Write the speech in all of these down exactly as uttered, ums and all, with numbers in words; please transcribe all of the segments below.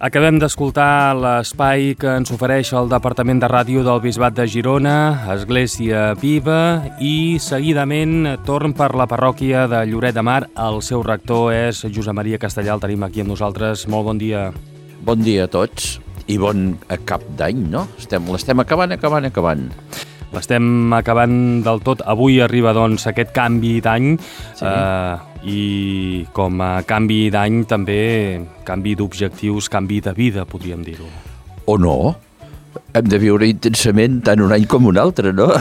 Acabem d'escoltar l'espai que ens ofereix el Departament de Ràdio del Bisbat de Girona, Església Viva, i seguidament torn per la parròquia de Lloret de Mar. El seu rector és Josep Maria Castellà, el tenim aquí amb nosaltres. Molt bon dia. Bon dia a tots i bon cap d'any, no? Estem, l'estem acabant, acabant, acabant. L'estem acabant del tot. Avui arriba, doncs, aquest canvi d'any, sí. eh, i com a canvi d'any també canvi d'objectius, canvi de vida, podríem dir-ho. O no? Hem de viure intensament tant un any com un altre, no?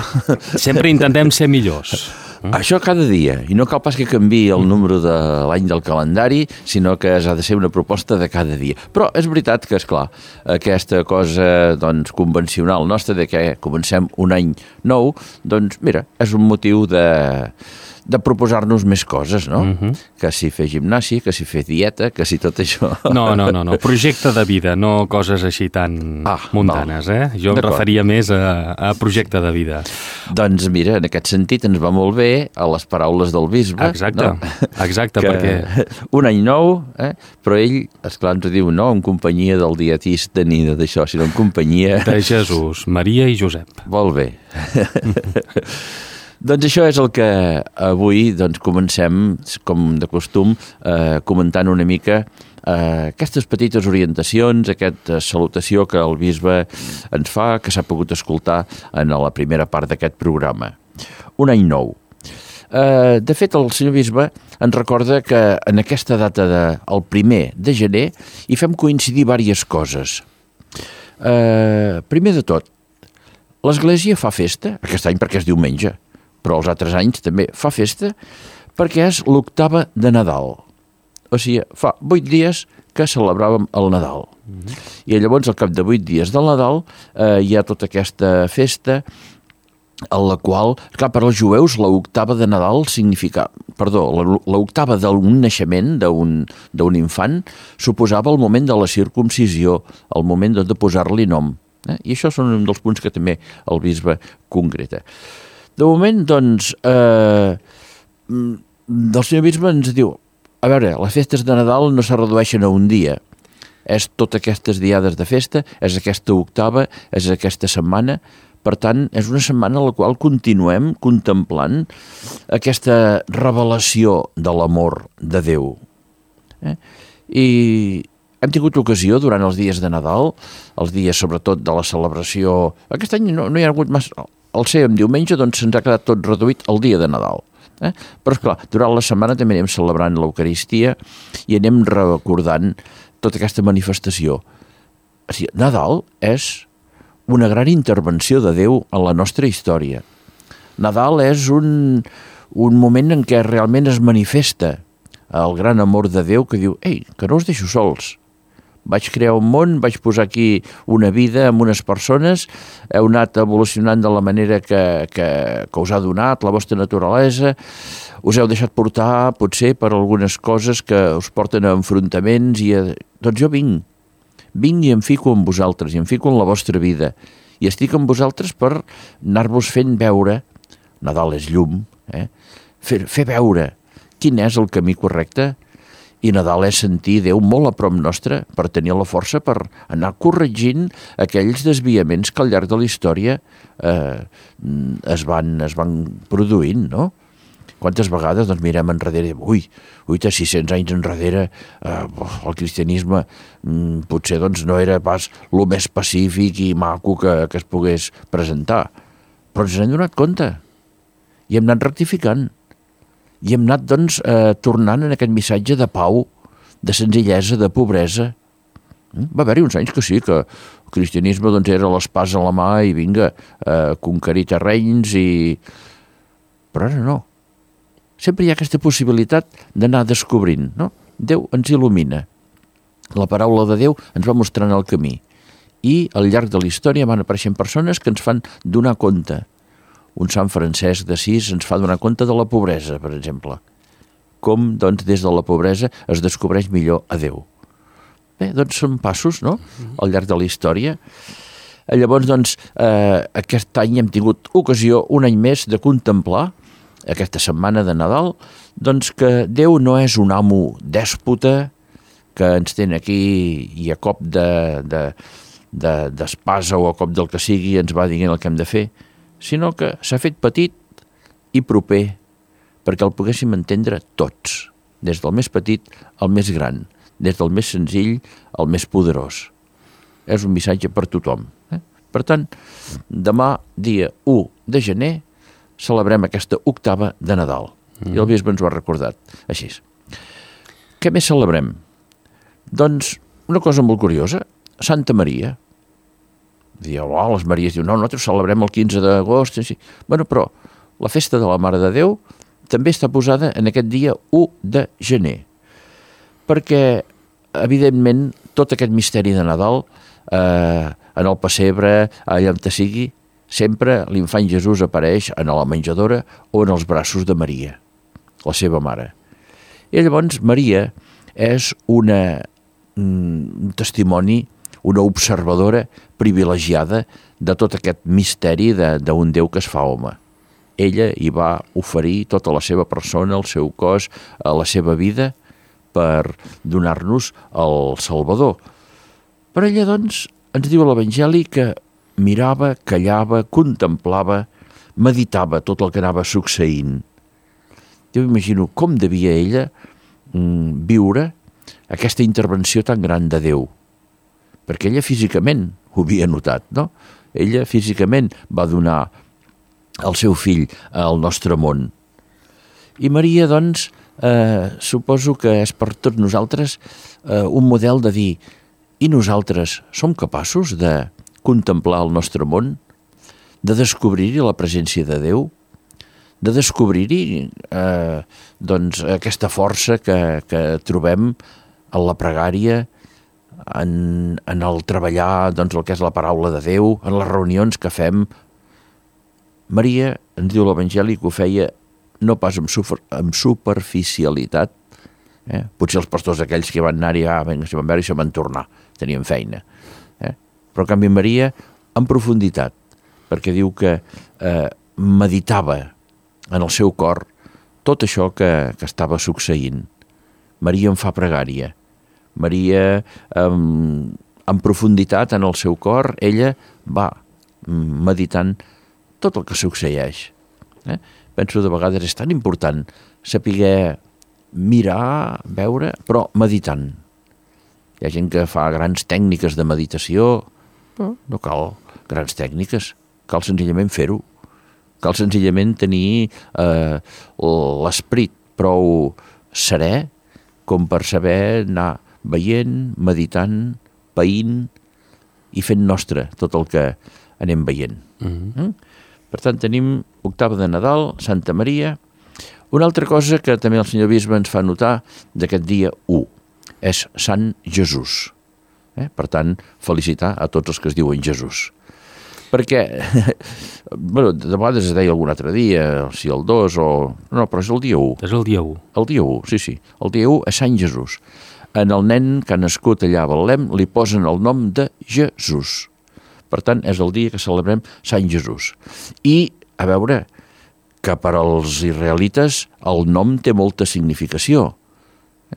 Sempre intentem ser millors. Mm? Això cada dia, i no cal pas que canviï el número de l'any del calendari, sinó que ha de ser una proposta de cada dia. Però és veritat que, esclar, aquesta cosa doncs, convencional nostra de que comencem un any nou, doncs mira, és un motiu de... de proposar-nos més coses, no? Uh-huh. Que si fer gimnàsia, que si fer dieta, que si tot això... No, no, no, no. Projecte de vida, no coses així tan ah, mundanes, val. eh? Jo em referia més a, a projecte de vida. Doncs mira, en aquest sentit ens va molt bé a les paraules del bisbe. Exacte, no? Exacte, que perquè... Un any nou, eh? Però ell, esclar, ens diu no en companyia del dietista ni d'això, sinó en companyia... De Jesús, Maria i Josep. Molt bé. Doncs això és el que avui doncs, comencem, com de costum, eh, comentant una mica eh, aquestes petites orientacions, aquesta salutació que el bisbe ens fa, que s'ha pogut escoltar en la primera part d'aquest programa. Un any nou. Eh, de fet, el senyor bisbe ens recorda que en aquesta data del de, primer de gener hi fem coincidir diverses coses. Eh, primer de tot, l'Església fa festa, aquest any perquè és diumenge, però els altres anys també fa festa perquè és l'octava de Nadal. O sigui, fa vuit dies que celebràvem el Nadal. Mm-hmm. I llavors, al cap de vuit dies del Nadal, eh, hi ha tota aquesta festa en la qual, clar, per als jueus, l'octava de Nadal significa, perdó, l'octava d'un naixement d'un d'un infant suposava el moment de la circumcisió, el moment de posar-li nom. Eh? I això són un dels punts que també el bisbe concreta. De moment, doncs, eh, el senyor bisbe ens diu, a veure, les festes de Nadal no se redueixen a un dia, és totes aquestes diades de festa, és aquesta octava, és aquesta setmana, per tant, és una setmana en la qual continuem contemplant aquesta revelació de l'amor de Déu. Eh? I hem tingut ocasió durant els dies de Nadal, els dies sobretot de la celebració, aquest any no, no hi ha hagut massa... Al ser en diumenge, doncs se'ns ha quedat tot reduït al dia de Nadal. Eh? Però, esclar, durant la setmana també anem celebrant l'Eucaristia i anem recordant tota aquesta manifestació. O sigui, Nadal és una gran intervenció de Déu en la nostra història. Nadal és un, un moment en què realment es manifesta el gran amor de Déu que diu, ei, que no us deixo sols. Vaig crear un món, vaig posar aquí una vida amb unes persones, heu anat evolucionant de la manera que, que, que us ha donat, la vostra naturalesa, us heu deixat portar, potser, per algunes coses que us porten a enfrontaments, i a... doncs jo vinc, vinc i em fico amb vosaltres, i em fico en la vostra vida, i estic amb vosaltres per anar-vos fent veure, Nadal és llum, eh? fer, fer veure quin és el camí correcte. I Nadal és sentir Déu molt a prop nostre per tenir la força per anar corregint aquells desviaments que al llarg de la història eh, es, van, es van produint, no? Quantes vegades doncs, mirem enrere, ui, ui, sis-cents anys enrere eh, el cristianisme mm, potser doncs, no era pas el més pacífic i maco que, que es pogués presentar, però ens n'hem donat compte i hem anat rectificant. I hem anat, doncs, eh, tornant en aquest missatge de pau, de senzillesa, de pobresa. Va haver-hi uns anys que sí, que el cristianisme doncs, era l'espasa a la mà i vinga, eh, conquerir terrenys i... Però ara no. Sempre hi ha aquesta possibilitat d'anar descobrint, no? Déu ens il·lumina. La paraula de Déu ens va mostrant el camí. I al llarg de la història van apareixent persones que ens fan donar compte. Un Sant Francesc d'Assís ens fa donar compte de la pobresa, per exemple. Com, doncs, des de la pobresa es descobreix millor a Déu. Bé, doncs són passos, no?, al llarg de la història. Llavors, doncs, eh, aquest any hem tingut ocasió, un any més, de contemplar, aquesta setmana de Nadal, doncs que Déu no és un amo dèspota que ens tenen aquí i a cop de, de, de, d'espasa o a cop del que sigui ens va dient el que hem de fer, sinó que s'ha fet petit i proper perquè el poguéssim entendre tots, des del més petit al més gran, des del més senzill al més poderós. És un missatge per tothom. Eh? Per tant, demà, dia u de gener, celebrem aquesta octava de Nadal. Mm. I el bisbe ens ho ha recordat així. Què més celebrem? Doncs una cosa molt curiosa, Santa Maria. Diu, oh, les Maries diuen, no, nosaltres celebrem el quinze d'agost. Sí. Bueno, però la festa de la Mare de Déu també està posada en aquest dia u de gener. Perquè, evidentment, tot aquest misteri de Nadal, eh, en el pessebre, allà on sigui, sempre l'infant Jesús apareix en la menjadora o en els braços de Maria, la seva mare. I llavors Maria és una, un testimoni, una observadora privilegiada de tot aquest misteri d'un Déu que es fa home. Ella hi va oferir tota la seva persona, el seu cos, la seva vida per donar-nos el Salvador. Però ella, doncs, ens diu a l'Evangeli que mirava, callava, contemplava, meditava tot el que anava succeint. Jo m'imagino com devia ella mm, viure aquesta intervenció tan gran de Déu, perquè ella físicament ho havia notat, no? Ella físicament va donar el seu fill al nostre món. I Maria, doncs, eh, suposo que és per tots nosaltres eh, un model de dir, i nosaltres som capaços de contemplar el nostre món, de descobrir-hi la presència de Déu, de descobrir-hi eh, doncs, aquesta força que, que trobem en la pregària, en, en el treballar doncs, el que és la paraula de Déu, en les reunions que fem. Maria, ens diu l'Evangeli, que ho feia no pas amb, super, amb superficialitat. Eh? Potser els pastors aquells que van anar-hi, ah, vinga, si van veure, això van tornar, tenien feina. Eh? Però en canvi Maria, en profunditat, perquè diu que eh, meditava en el seu cor tot això que, que estava succeint. Maria en fa pregària. Maria, en, en profunditat en el seu cor, ella va meditant tot el que succeeix. Eh? Penso de vegades és tan important saber mirar, veure, però meditant. Hi ha gent que fa grans tècniques de meditació, no, no cal grans tècniques, cal senzillament fer-ho. Cal senzillament tenir eh, l'esperit prou serè com per saber anar veient, meditant, païnt i fent nostre tot el que anem veient. Mm-hmm. Mm? Per tant, tenim octava de Nadal, Santa Maria. Una altra cosa que també el senyor bisbe ens fa notar d'aquest dia u és Sant Jesús. Eh? Per tant, felicitar a tots els que es diuen Jesús. Perquè, bueno, de vegades es deia algun altre dia, si el dos o... No, però és el dia u. És el dia u. El dia u, sí, sí. El dia u és Sant Jesús. En el nen que ha nascut allà a Betlem li posen el nom de Jesús. Per tant, és el dia que celebrem Sant Jesús. I, a veure, que per als israelites el nom té molta significació.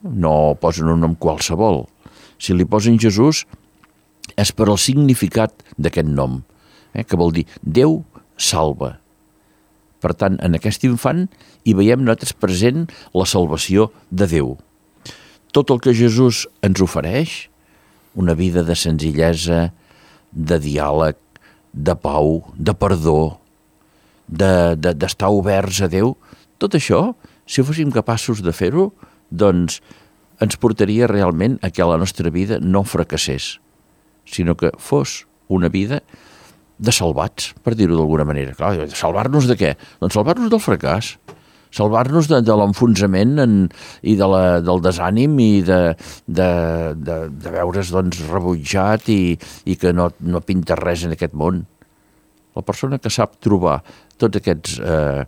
No posen un nom qualsevol. Si li posen Jesús és per al significat d'aquest nom, eh, que vol dir Déu salva. Per tant, en aquest infant hi veiem nosaltres present la salvació de Déu. Tot el que Jesús ens ofereix, una vida de senzillesa, de diàleg, de pau, de perdó, de, de, d'estar oberts a Déu, tot això, si fóssim capaços de fer-ho, doncs ens portaria realment a que la nostra vida no fracassés, sinó que fos una vida de salvats, per dir-ho d'alguna manera. Clar, salvar-nos de què? Doncs salvar-nos del fracàs, salvar-nos de, de l'enfonsament en, i de la, del desànim i de, de, de, de veure's doncs, rebutjat i, i que no, no pinta res en aquest món. La persona que sap trobar tots aquests, eh,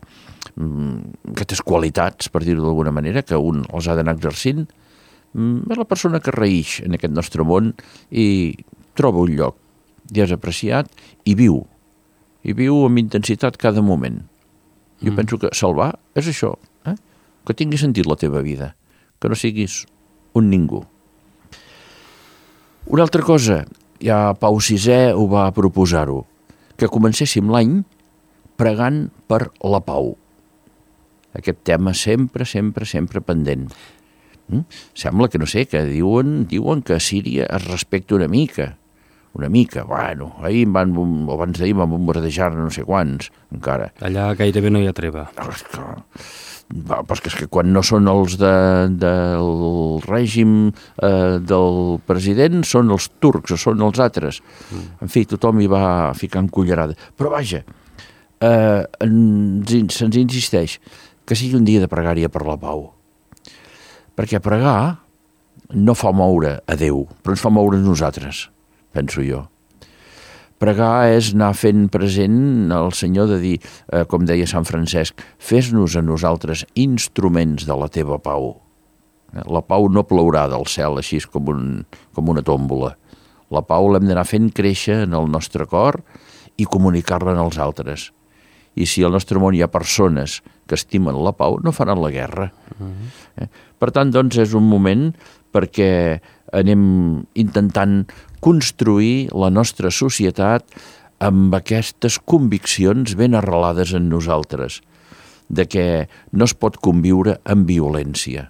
aquestes qualitats, per dir-ho d'alguna manera, que un els ha d'anar exercint, és la persona que reïx en aquest nostre món i troba un lloc i és apreciat i viu. I viu amb intensitat cada moment. Jo mm. penso que salvar és això, eh? Que tingui sentit la teva vida, que no siguis un ningú. Una altra cosa, ja Pau sisè ho va proposar-ho, que comencéssim l'any pregant per la pau. Aquest tema sempre, sempre, sempre pendent. Mm? Sembla que, no sé, que diuen, diuen que a Síria es respecta una mica. Una mica, bueno, ahir van, abans d'ahir van bombardejar no sé quants, encara. Allà gairebé no hi ha treva. No, és que, va, però és que quan no són els de, del règim eh, del president, són els turcs o són els altres. Mm. En fi, tothom hi va ficant cullerada. Però vaja, eh, ens, se'ns insisteix que sigui un dia de pregària per la pau. Perquè pregar no fa moure a Déu, però ens fa moure a nosaltres, penso jo. Pregar és anar fent present al Senyor de dir, eh, com deia Sant Francesc, fes-nos a nosaltres instruments de la teva pau. La pau no plourà del cel així com, un, com una tòmbola. La pau l'hem d'anar fent créixer en el nostre cor i comunicar-la als altres. I si al nostre món hi ha persones que estimen la pau, no faran la guerra. Uh-huh. eh? Per tant, doncs, és un moment perquè anem intentant construir la nostra societat amb aquestes conviccions ben arrelades en nosaltres, de que no es pot conviure amb violència,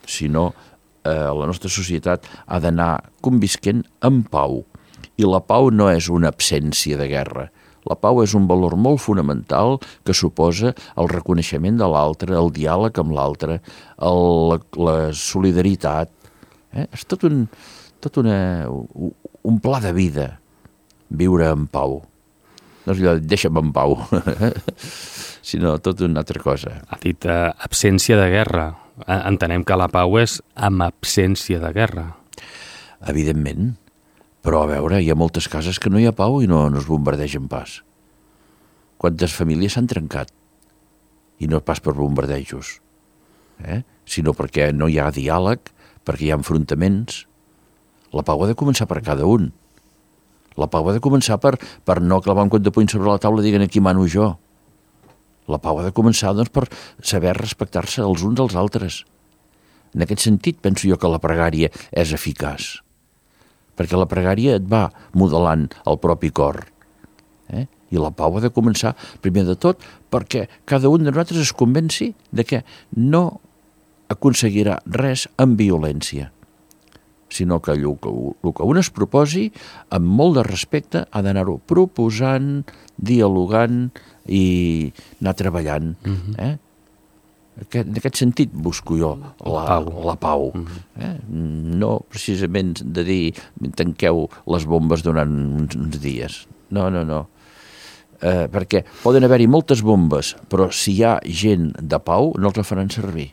sinó eh, la nostra societat ha d'anar convisquent amb pau. I la pau no és una absència de guerra. La pau és un valor molt fonamental que suposa el reconeixement de l'altre, el diàleg amb l'altre, la, la solidaritat. Eh? És tot un, tot una, un pla de vida, viure en pau. No és allò, deixa'm en pau, sinó tot una altra cosa. Ha dit eh, absència de guerra. Entenem que la pau és amb absència de guerra. Evidentment. Però, a veure, hi ha moltes cases que no hi ha pau i no, no es bombardegen pas. Quantes famílies s'han trencat? I no pas per bombardejos, eh? sinó perquè no hi ha diàleg, perquè hi ha enfrontaments. La pau ha de començar per cada un. La pau ha de començar per, per no clavar un cop de puny sobre la taula i diguin aquí mano jo. La pau ha de començar doncs, per saber respectar-se els uns als altres. En aquest sentit, penso jo que la pregària és eficaç. Perquè la pregària et va modelant el propi cor. Eh? I la pau ha de començar, primer de tot, perquè cada un de nosaltres es convenci de que no aconseguirà res amb violència, sinó que el que, el que un es proposi, amb molt de respecte, ha d'anar-ho proposant, dialogant i anar treballant. Mm-hmm. eh? En aquest sentit busco jo la pau. La pau. Eh? No precisament de dir tanqueu les bombes durant uns, uns dies. No, no, no. Eh, perquè poden haver-hi moltes bombes, però si hi ha gent de pau no els la faran servir.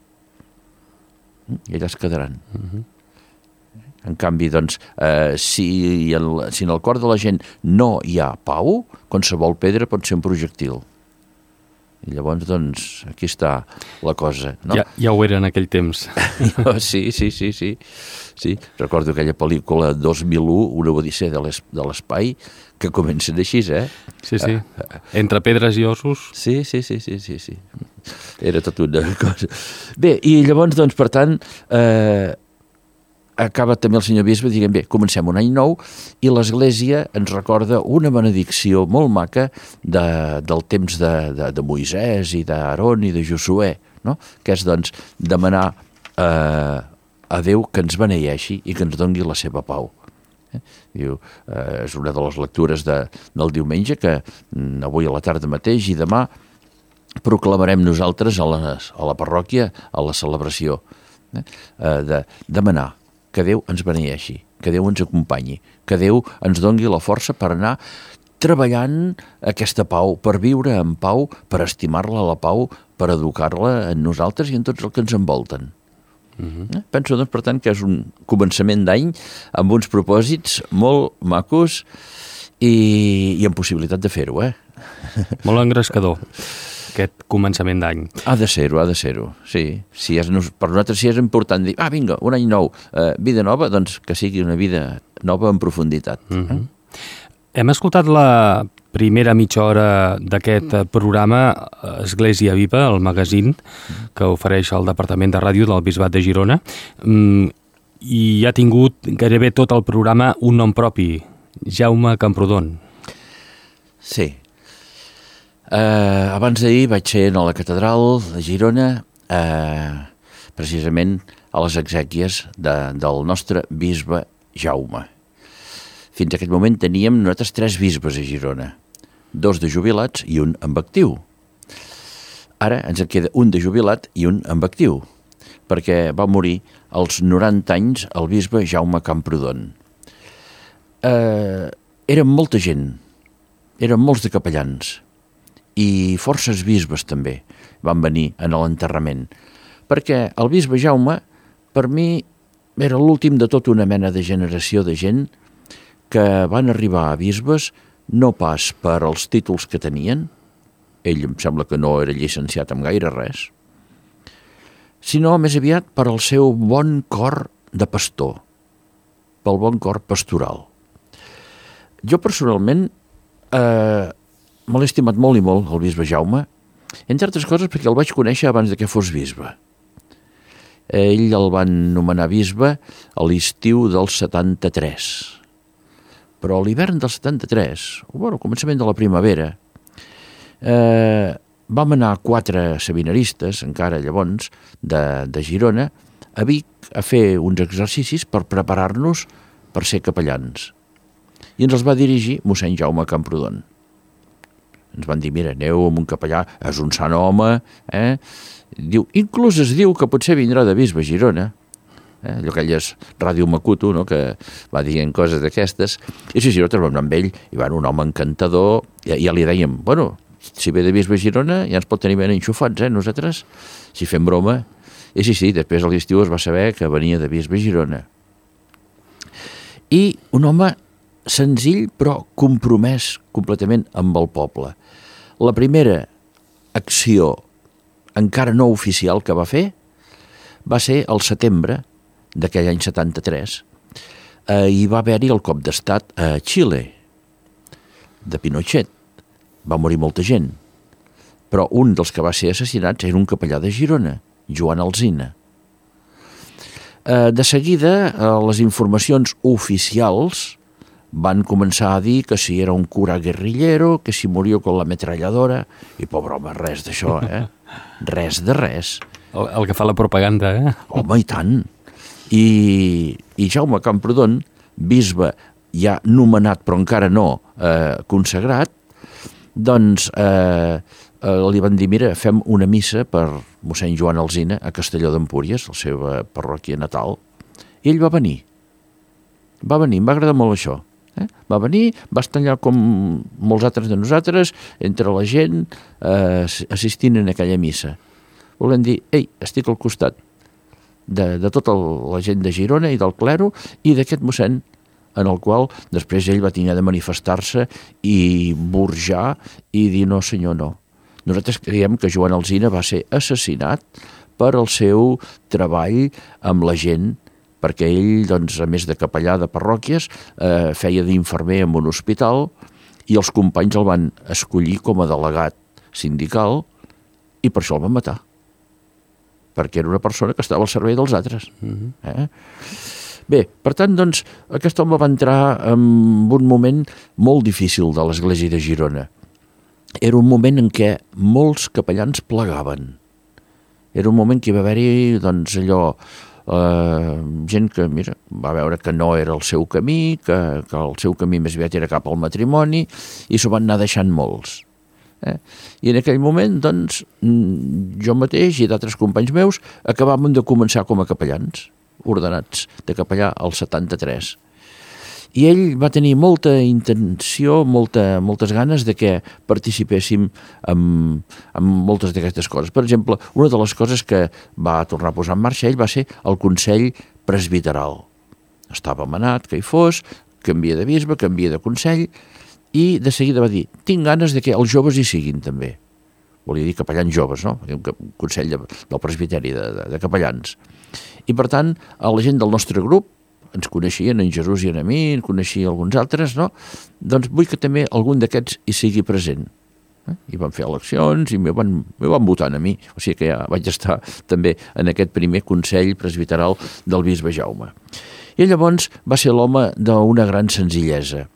I allà es quedaran. Uh-huh. En canvi, doncs, eh, si, el, si en el cor de la gent no hi ha pau, qualsevol pedra pot ser un projectil. I llavors, doncs, aquí està la cosa, no? Ja, ja ho era en aquell temps. sí, sí, sí, sí, sí. Recordo aquella pel·lícula dos mil u, Una odissea de l'espai, que comencen així, eh? Sí, sí. Entre pedres i ossos. Sí, sí, sí, sí, sí, sí. Era tot una cosa. Bé, i llavors, doncs, per tant, eh, acaba també el senyor bisbe dient, bé, comencem un any nou i l'Església ens recorda una benedicció molt maca de, del temps de, de, de Moisès i d'Aaron i de Josué, no? Que és, doncs, demanar eh, a Déu que ens beneeixi i que ens doni la seva pau. Eh? Diu, eh, és una de les lectures de, del diumenge que mm, avui a la tarda mateix i demà proclamarem nosaltres a, les, a la parròquia, a la celebració, eh? Eh, de demanar que Déu ens beneeixi, que Déu ens acompanyi, que Déu ens doni la força per anar treballant aquesta pau, per viure en pau, per estimar-la la pau, per educar-la en nosaltres i en tots els que ens envolten. Uh-huh. eh? Penso, doncs, per tant, que és un començament d'any amb uns propòsits molt macos i, i amb possibilitat de fer-ho, eh? Molt engrescador, aquest començament d'any. Ha de ser-ho, ha de ser-ho, sí. Si és, per nosaltres si és important dir, ah, vinga, un any nou, eh, vida nova, doncs que sigui una vida nova en profunditat. Uh-huh. eh? Hem escoltat la primera mitja hora d'aquest programa Església Viva, el magazín que ofereix el Departament de Ràdio del Bisbat de Girona. i ha tingut gairebé tot el programa un nom propi, Jaume Camprodon. Sí. Uh, abans d'ahir vaig ser a la catedral de Girona, uh, precisament a les exèquies de, del nostre bisbe Jaume. Fins a aquest moment teníem nosaltres tres bisbes a Girona, dos de jubilats i un en actiu. Ara ens en queda un de jubilat i un en actiu, perquè va morir als noranta anys el bisbe Jaume Camprodon. Eh, érem molta gent, érem molts de capellans, i forces bisbes també van venir en l'enterrament, perquè el bisbe Jaume, per mi, era l'últim de tota una mena de generació de gent que van arribar a bisbes no pas per als títols que tenien, ell em sembla que no era llicenciat en gaire res, sinó més aviat per al seu bon cor de pastor, pel bon cor pastoral. Jo personalment eh, me l'he estimat molt i molt, el bisbe Jaume, entre altres coses perquè el vaig conèixer abans de que fos bisbe. Ell el van nomenar bisbe a l'estiu del setanta-tres. Però a l'hivern del setanta-tres, o bueno, al començament de la primavera, eh, vam anar quatre seminaristes, encara llavors, de, de Girona, a Vic a fer uns exercicis per preparar-nos per ser capellans. I ens els va dirigir mossèn Jaume Camprodon. Ens van dir, mira, aneu amb un capellà, és un sant home, eh? Diu, inclús es diu que potser vindrà de bisbe a Girona, eh? Allò aquelles Ràdio Macuto, no?, que va dient coses d'aquestes, i sí, sí, nosaltres vam anar amb ell, i van un home encantador, i ja li dèiem, bueno, si ve de bisbe a Girona ja ens pot tenir ben enxufats, eh, nosaltres, si fem broma. I sí, sí, després a l'estiu es va saber que venia de bisbe a Girona. I un home senzill però compromès completament amb el poble. La primera acció encara no oficial que va fer va ser al setembre d'aquell any setanta-tres. Eh, hi va haver-hi el cop d'estat a Xile, de Pinochet. Va morir molta gent, però un dels que va ser assassinats era un capellà de Girona, Joan Alsina. Eh, de seguida, eh, les informacions oficials van començar a dir que si era un cura guerrillero, que si murió con la metralladora, i pobre home, res d'això, eh? Res de res. El, el que fa la propaganda, eh? Home, i tant. I, i Jaume Camprodon, bisbe ja nomenat però encara no eh, consagrat, doncs eh, eh, li van dir, mira, fem una missa per mossèn Joan Alsina a Castelló d'Empúries, la seva parròquia natal, i ell va venir. Va venir, em va agradar molt això. Eh? Va venir, va estar allà com molts altres de nosaltres, entre la gent, eh, assistint en aquella missa. Volem dir, ei, estic al costat de, de tota la gent de Girona i del clero i d'aquest mossèn, en el qual després ell va tenir de manifestar-se i burjar i dir no senyor, no. Nosaltres creiem que Joan Alsina va ser assassinat per el seu treball amb la gent, perquè ell, doncs, a més de capellà de parròquies, eh, feia d'infermer en un hospital i els companys el van escollir com a delegat sindical i per això el van matar, perquè era una persona que estava al servei dels altres. Mm-hmm. Eh? Bé, per tant, doncs, aquest home va entrar en un moment molt difícil de l'església de Girona. Era un moment en què molts capellans plegaven. Era un moment que hi va haver-hi, doncs, allò, eh, gent que, mira, va veure que no era el seu camí, que, que el seu camí més aviat era cap al matrimoni, i s'ho van anar deixant molts. Eh? I en aquell moment, doncs, jo mateix i d'altres companys meus acabàvem de començar com a capellans, ordenats de capellà al setanta-tres. I ell va tenir molta intenció, molta, moltes ganes de que participéssim en, en moltes d'aquestes coses. Per exemple, una de les coses que va tornar a posar en marxa ell va ser el Consell Presbiteral. Estava manat que hi fos, canvia de bisbe, canvia de consell, i de seguida va dir, tinc ganes de que els joves hi siguin també. Volia dir capellans joves, no? Un consell de, del presbiteri de, de, de capellans. I per tant, a la gent del nostre grup, ens coneixien, en Jesús i en a mi, en coneixia alguns altres, no? Doncs vull que també algun d'aquests hi sigui present. Eh? I van fer eleccions i me van, me van votar a mi. O sigui que ja vaig estar també en aquest primer Consell Presbiteral del bisbe Jaume. I llavors va ser l'home d'una gran senzillesa.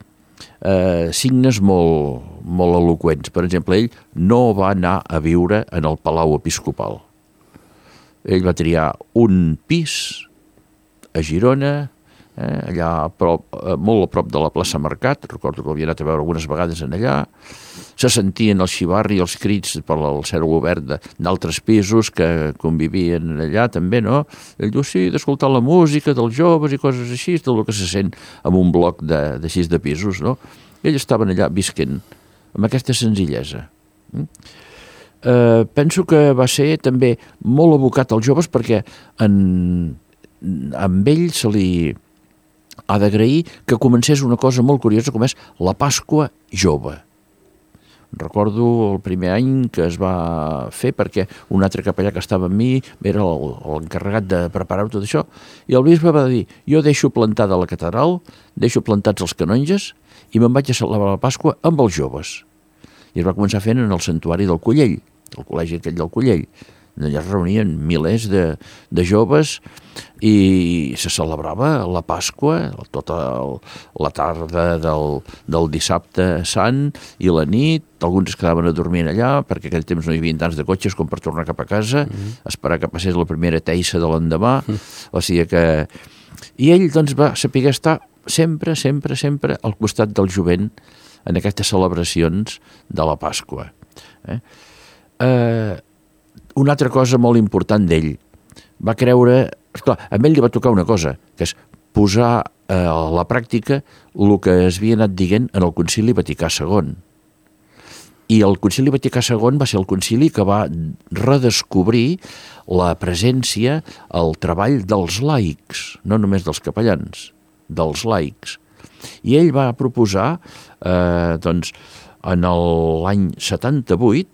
Eh, signes molt, molt eloqüents. Per exemple, ell no va anar a viure en el Palau Episcopal. Ell va triar un pis a Girona, eh, allà a prop, molt a prop de la plaça Mercat. Recordo que l'havia anat a veure algunes vegades en allà. Se sentien el xivarri i els crits per al cel obert d'altres pisos que convivien allà també, no? Ell diu, sí, d'escoltar la música dels joves i coses així, tot el que se sent en un bloc de, de sis de pisos, no? Ells estaven allà visquent amb aquesta senzillesa. Eh, penso que va ser també molt abocat als joves perquè en, amb ell se li ha d'agrair que comencés una cosa molt curiosa com és la Pasqua jove. Recordo el primer any que es va fer perquè un altre capellà que estava amb mi era l'encarregat de preparar tot això i el bisbe va dir, jo deixo plantada la catedral, deixo plantats els canonges i me'n vaig a celebrar la Pasqua amb els joves. I es va començar fent en el santuari del Collell, el col·legi aquell del Collell. Allà es reunien milers de, de joves i se celebrava la Pasqua, tota el, la tarda del, del dissabte sant i la nit. Alguns es quedaven a dormir allà perquè aquell temps no hi havia tants de cotxes com per tornar cap a casa, mm-hmm. esperar que passés la primera teissa de l'endemà. Mm-hmm. O sigui que... I ell doncs, va saber estar sempre, sempre, sempre al costat del jovent en aquestes celebracions de la Pasqua. Eh? Eh, una altra cosa molt important d'ell, va creure, esclar, a ell li va tocar una cosa, que és posar eh, a la pràctica el que es havia anat dient en el Concili Vaticà segon. I el Concili Vaticà segon va ser el concili que va redescobrir la presència, el treball dels laics, no només dels capellans, dels laics. I ell va proposar, eh, doncs, en l'any setanta-vuit,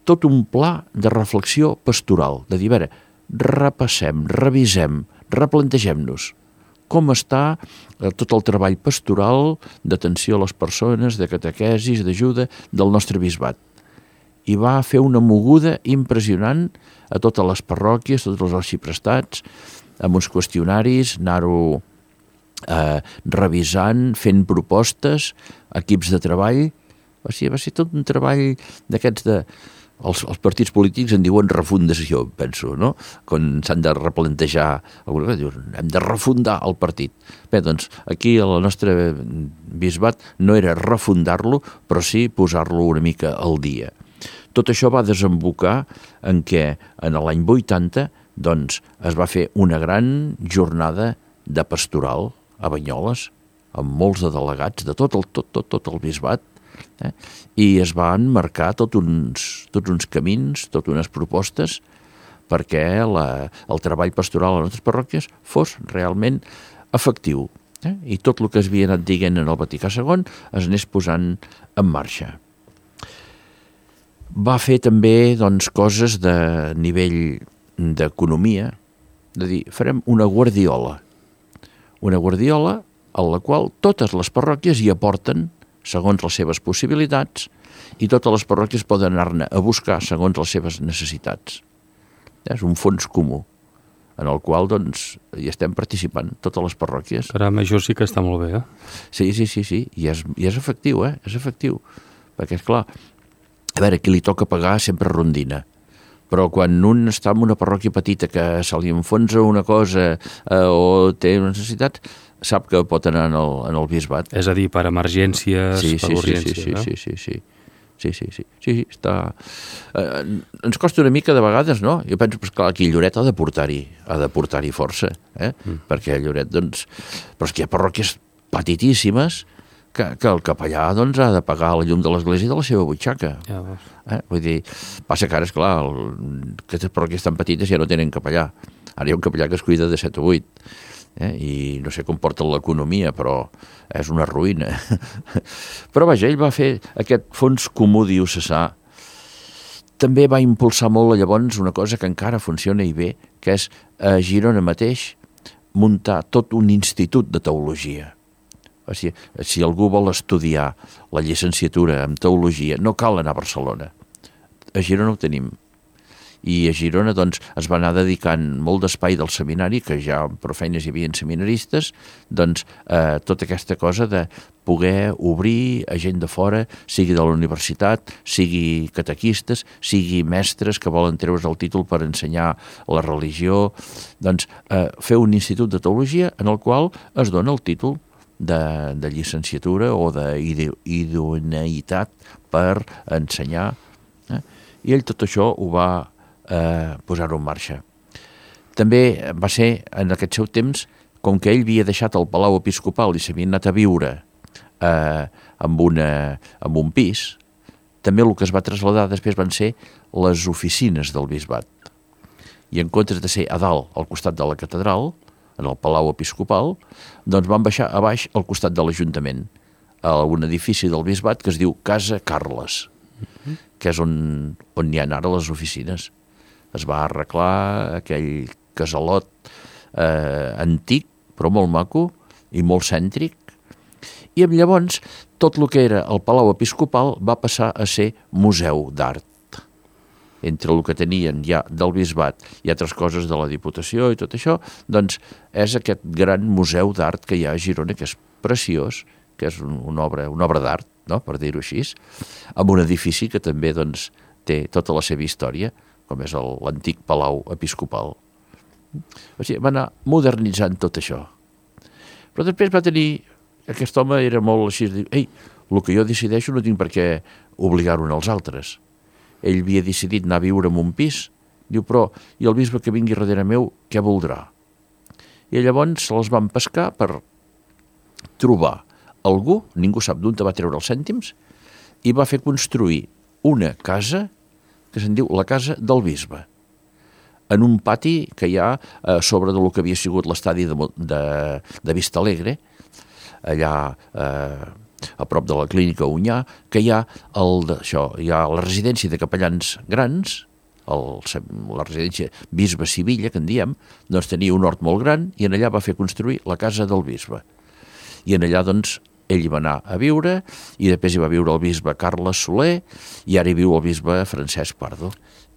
tot un pla de reflexió pastoral, de dir, a veure, repassem, revisem, replantegem-nos com està tot el treball pastoral d'atenció a les persones, de catequesis, d'ajuda del nostre bisbat. I va fer una moguda impressionant a totes les parròquies, tots els arxiprestats, amb uns qüestionaris, anar-ho eh, revisant, fent propostes, equips de treball. O sigui, va ser tot un treball d'aquests de... Els, els partits polítics en diuen refundació, penso, no? Quan s'han de replantejar alguna cosa, diuen, hem de refundar el partit. Bé, doncs, aquí el nostre bisbat no era refundar-lo, però sí posar-lo una mica al dia. Tot això va desembocar en què en l'any vuitanta doncs, es va fer una gran jornada de pastoral a Banyoles, amb molts de delegats de tot el, tot, tot, tot el bisbat, Eh? I es van marcar tot uns, tots uns camins, tot unes propostes perquè la, el treball pastoral a les nostres parròquies fos realment efectiu. Eh? I tot el que es havia anat dient en el Vaticà segon es anés posant en marxa. Va fer també doncs, coses de nivell d'economia, de dir, farem una guardiola, una guardiola a la qual totes les parròquies hi aporten segons les seves possibilitats i totes les parròquies poden anar-ne a buscar segons les seves necessitats. És un fons comú en el qual doncs, hi estem participant totes les parròquies. Caram, això sí que està molt bé, eh? Sí, sí, sí, sí. I és, i és efectiu, eh? És efectiu. Perquè, és clar, a veure, qui li toca pagar sempre rondina. Però quan un està en una parròquia petita que se li enfonsa una cosa eh, o té una necessitat, sap que pot anar en el, en el bisbat. És a dir, per emergències, sí, per sí, urgències, sí, sí, no? Sí, sí, sí. Sí, sí, sí, sí, sí, està... Eh, ens costa una mica de vegades, no? Jo penso, pues, clar, aquí Lloret ha de portar-hi, ha de portar-hi força, eh? Mm. Perquè Lloret, doncs... Però és que hi ha parròquies petitíssimes que, que el capellà, doncs, ha de pagar la llum de l'església de la seva butxaca. Ja veus. Eh? Vull dir, passa que ara, esclar, el, aquestes parròquies tan petites ja no tenen capellà. Ara hi ha un capellà que es cuida de set o vuit. Eh? I no sé com porta l'economia, però és una ruïna. Però vaja, ell va fer aquest fons comú diocesà. També va impulsar molt llavors una cosa que encara funciona i bé, que és a Girona mateix muntar tot un institut de teologia. O sigui, si algú vol estudiar la llicenciatura en teologia, no cal anar a Barcelona. A Girona ho tenim. I a Girona doncs, es va anar dedicant molt d'espai del seminari, que ja per feines hi havia seminaristes, doncs eh, tota aquesta cosa de poder obrir a gent de fora, sigui de la universitat, sigui catequistes, sigui mestres que volen treure's el títol per ensenyar la religió, doncs eh, fer un institut de teologia en el qual es dona el títol de, de llicenciatura o d'idoneïtat per ensenyar. Eh? I ell tot això ho va Eh, posar-ho en marxa. També va ser, en aquest seu temps, com que ell havia deixat el Palau Episcopal i s'havia anat a viure eh, amb, una, amb un pis, també el que es va traslladar després van ser les oficines del bisbat. I en comptes de ser a dalt, al costat de la catedral, en el Palau Episcopal, doncs van baixar a baix al costat de l'Ajuntament, a un edifici del bisbat que es diu Casa Carles, que és on, on hi ha ara les oficines. Es va arreglar aquell casalot eh, antic, però molt maco i molt cèntric. I llavors tot el que era el Palau Episcopal va passar a ser museu d'art. Entre el que tenien ja del bisbat i altres coses de la Diputació i tot això, doncs és aquest gran museu d'art que hi ha a Girona, que és preciós, que és una obra, una obra d'art, no? Per dir-ho així, amb un edifici que també doncs, té tota la seva història, com és l'antic Palau Episcopal. O sigui, va anar modernitzant tot això. Però després va tenir... Aquest home era molt així, de dir, ei, el que jo decideixo no tinc per què obligar-ho als altres. Ell havia decidit anar a viure en un pis, diu, però, i el bisbe que vingui darrere meu, què voldrà? I llavors se'ls van pescar per trobar algú, ningú sap d'on te va treure els cèntims, i va fer construir una casa que se'n diu la Casa del Bisbe, en un pati que hi ha a sobre del que havia sigut l'estadi de, de, de Vista Alegre, allà eh, a prop de la clínica Unyà, que hi ha, el, això, hi ha la residència de capellans grans, el, la residència Bisbe Sivilla, que en diem, doncs tenia un hort molt gran i en allà va fer construir la Casa del Bisbe. I en allà, doncs, ell hi va anar a viure i després hi va viure el bisbe Carles Soler i ara hi viu el bisbe Francesc Pardo.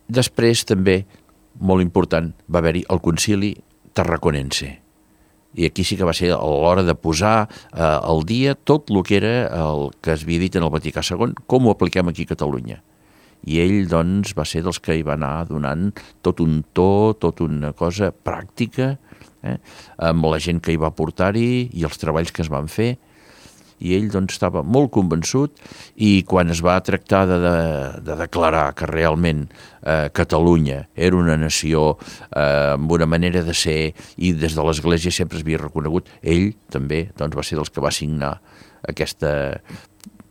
Després també, molt important, va haver-hi el concili tarraconense. I aquí sí que va ser a l'hora de posar eh, al dia tot el que era el que es havia dit en el Vaticà segon, com ho apliquem aquí a Catalunya. I ell, doncs, va ser dels que hi va anar donant tot un to, tot una cosa pràctica, eh, amb la gent que hi va portar-hi i els treballs que es van fer. I ell doncs, estava molt convençut i quan es va tractar de, de, de declarar que realment eh, Catalunya era una nació eh, amb una manera de ser i des de l'Església sempre es havia reconegut, ell també doncs, va ser dels que va signar aquesta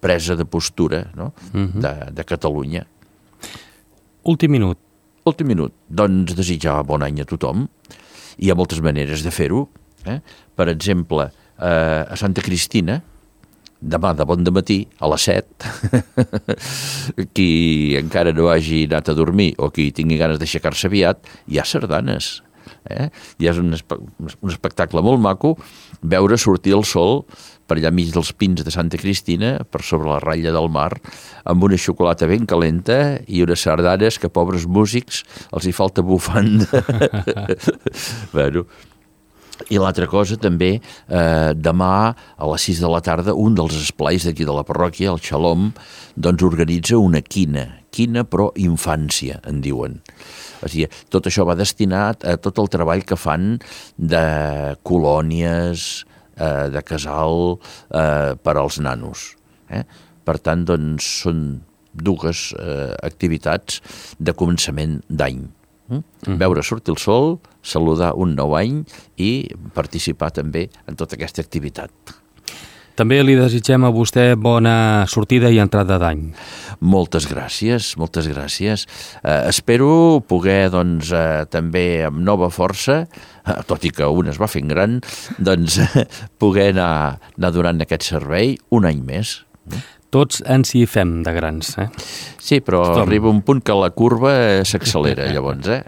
presa de postura, no? uh-huh. de, de Catalunya. Últim minut. Últim minut. Doncs desitjar bon any a tothom. Hi ha moltes maneres de fer-ho. Eh? Per exemple, eh, a Santa Cristina, demà de bon dematí, a les set, qui encara no hagi anat a dormir o qui tingui ganes d'aixecar-se aviat, hi ha sardanes. Eh? I és un, espe un espectacle molt maco veure sortir el sol per allà mig dels pins de Santa Cristina, per sobre la ratlla del mar, amb una xocolata ben calenta i unes sardanes que, pobres músics, els hi falta bufanda. Bueno... I l'altra cosa també, eh, demà a les sis de la tarda, un dels esplais d'aquí de la parròquia, el Xalom, doncs organitza una quina, quina però infància, en diuen. O sigui, tot això va destinat a tot el treball que fan de colònies, eh, de casal eh, per als nanos. Eh? Per tant, doncs, són dues eh, activitats de començament d'any. Mm. Veure sortir el sol, saludar un nou any i participar també en tota aquesta activitat. També li desitgem a vostè bona sortida i entrada d'any. Moltes gràcies, moltes gràcies. Eh, espero poder, doncs, eh, també amb nova força, eh, tot i que un es va fent gran, doncs poder anar, anar donant aquest servei un any més. Tots ens hi fem de grans, eh? Sí, però Estom. Arriba un punt que la curva s'accelera, llavors, eh?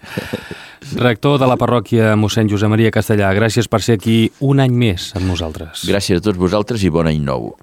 Rector de la parròquia mossèn Josep Maria Castellà, gràcies per ser aquí un any més amb nosaltres. Gràcies a tots vosaltres i bon any nou.